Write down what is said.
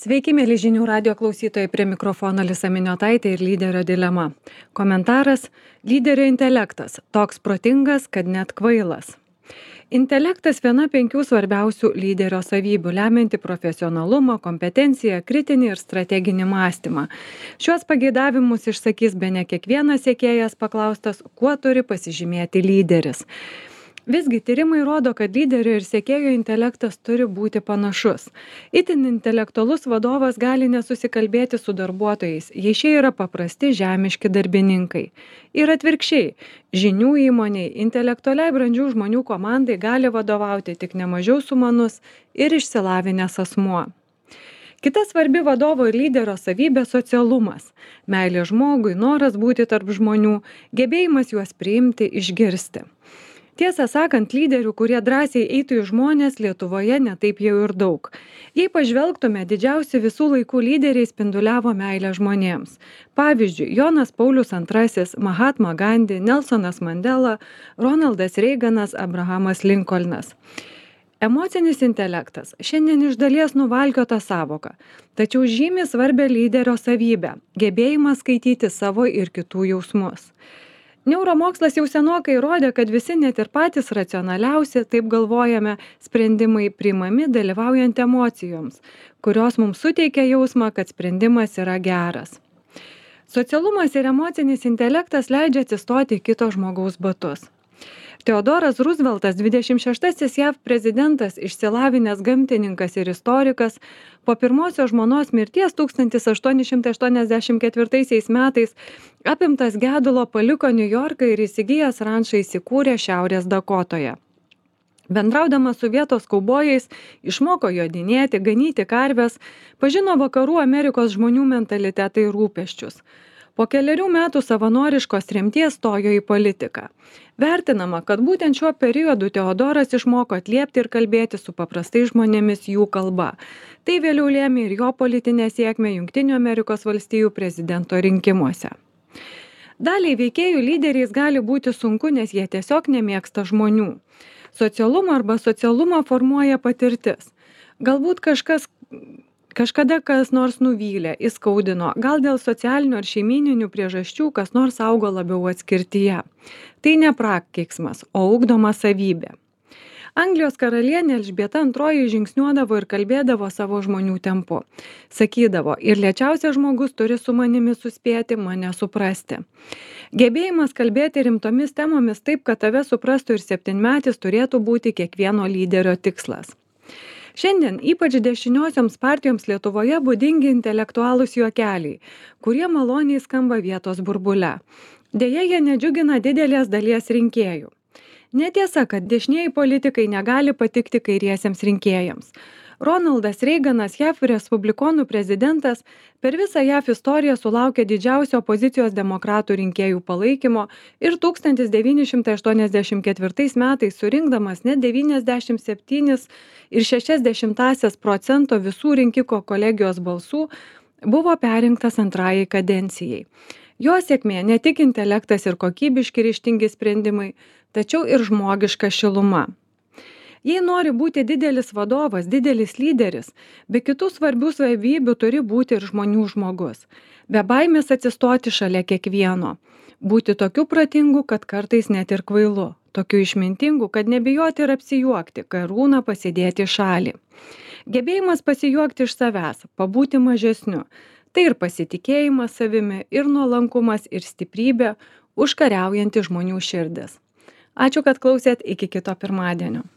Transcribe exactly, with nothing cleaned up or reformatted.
Sveiki, mėly žinių radio klausytojai, prie mikrofono Lisa Miniotaitė ir lyderio dilema. Komentaras - lyderio intelektas, toks protingas, kad net kvailas. Intelektas viena penkių svarbiausių lyderio savybių, lemianti profesionalumą, kompetenciją, kritinį ir strateginį mąstymą. Šiuos pageidavimus išsakys bene kiekvienas sekėjas paklaustas, kuo turi pasižymėti lyderis. Visgi tyrimai rodo, kad lyderio ir sekėjo intelektas turi būti panašus. Itin intelektualus vadovas gali nesusikalbėti su darbuotojais, jei šie yra paprasti žemiški darbininkai. Ir atvirkščiai, žinių įmoniai, intelektualiai brandžių žmonių komandai gali vadovauti tik nemažiau sumanus ir išsilavinęs asmuo. Kita svarbi vadovo ir lyderio savybė - socialumas. Meilė žmogui, noras būti tarp žmonių, gebėjimas juos priimti, išgirsti. Tiesą sakant, lyderių, kurie drąsiai eitų į žmonės, Lietuvoje netaip jau ir daug. Jei pažvelgtume, didžiausi visų laikų lyderiai spinduliavo meilę žmonėms. Pavyzdžiui, Jonas Paulius antrasis, Mahatma Gandhi, Nelsonas Mandela, Ronaldas Reiganas, Abrahamas Linkolnas. Emocinis intelektas šiandien iš dalies nuvalkiota sąvoka, tačiau žymi svarbią lyderio savybę - gebėjimas skaityti savo ir kitų jausmus. Neuromokslas jau senokai įrodė, kad visi net ir patys racionaliausi, taip galvojame, sprendimai priimami dalyvaujant emocijoms, kurios mums suteikia jausmą, kad sprendimas yra geras. Socialumas ir emocinis intelektas leidžia atsistoti į kito žmogaus batus. Teodoras Rooseveltas, dvidešimt šeštasis J A V prezidentas, išsilavinęs gamtininkas ir istorikas, po pirmosios žmonos mirties tūkstantis aštuoni šimtai aštuoniasdešimt ketvirtaisiais metais apimtas gedulo paliko Niujorką ir įsigijęs rančą įsikūrė Šiaurės Dakotoje. Bendraudamas su vietos kaubojais, išmoko jodinėti, ganyti karves, pažino vakarų Amerikos žmonių mentalitetą ir rūpesčius. Po keliarių metų savanoriškos tremties stojo į politiką. Vertinama, kad būtent šiuo periodu Teodoras išmoko atliepti ir kalbėti su paprastais žmonėmis jų kalba. Tai vėliau lėmė ir jo politinę sėkmę Jungtinių Amerikos valstijų prezidento rinkimuose. Daliai veikėjų lyderiais gali būti sunku, nes jie tiesiog nemėgsta žmonių. Socialumą arba socialumą formuoja patirtis. Galbūt kažkas Kažkada kas nors nuvylė, įskaudino, gal dėl socialinių ar šeimyninių priežasčių kas nors augo labiau atskirtyje. Tai ne prakeiksmas, o ugdoma savybė. Anglijos karalienė Elžbieta antroji žingsniuodavo ir kalbėdavo savo žmonių tempu. Sakydavo, ir lėčiausias žmogus turi su manimi suspėti, mane suprasti. Gebėjimas kalbėti rimtomis temomis taip, kad tave suprastų ir septynmetis turėtų būti kiekvieno lyderio tikslas. Šiandien ypač dešiniosioms partijoms Lietuvoje būdingi intelektualūs juokeliai, kurie maloniai skamba vietos burbule. Deja, jie nedžiugina didelės dalies rinkėjų. Netiesa, kad dešinieji politikai negali patikti kairiesiems rinkėjams. Ronaldas Reiganas, J A V respublikonų prezidentas, per visą J A V istoriją sulaukė didžiausio opozicijos demokratų rinkėjų palaikymo ir tūkstantis devyni šimtai aštuoniasdešimt ketvirtais metais surinkdamas net devyniasdešimt septynis ir šešias dešimtąsias procento visų rinkiko kolegijos balsų buvo perrinktas antrajai kadencijai. Jo sėkmė ne tik intelektas ir kokybiški ryžtingi sprendimai, tačiau ir žmogiška šiluma. Jei nori būti didelis vadovas, didelis lyderis, be kitų svarbių savybių turi būti ir žmonių žmogus. Be baimės atsistoti šalia kiekvieno. Būti tokiu protingu, kad kartais net ir kvailu. Tokiu išmintingu, kad nebijoti ir apsijuokti, karūną pasidėti į šalį. Gebėjimas pasijuokti iš savęs, pabūti mažesniu. Tai ir pasitikėjimas savimi, ir nuolankumas, ir stiprybė, užkariaujanti žmonių širdis. Ačiū, kad klausėt, iki kito pirmadienio.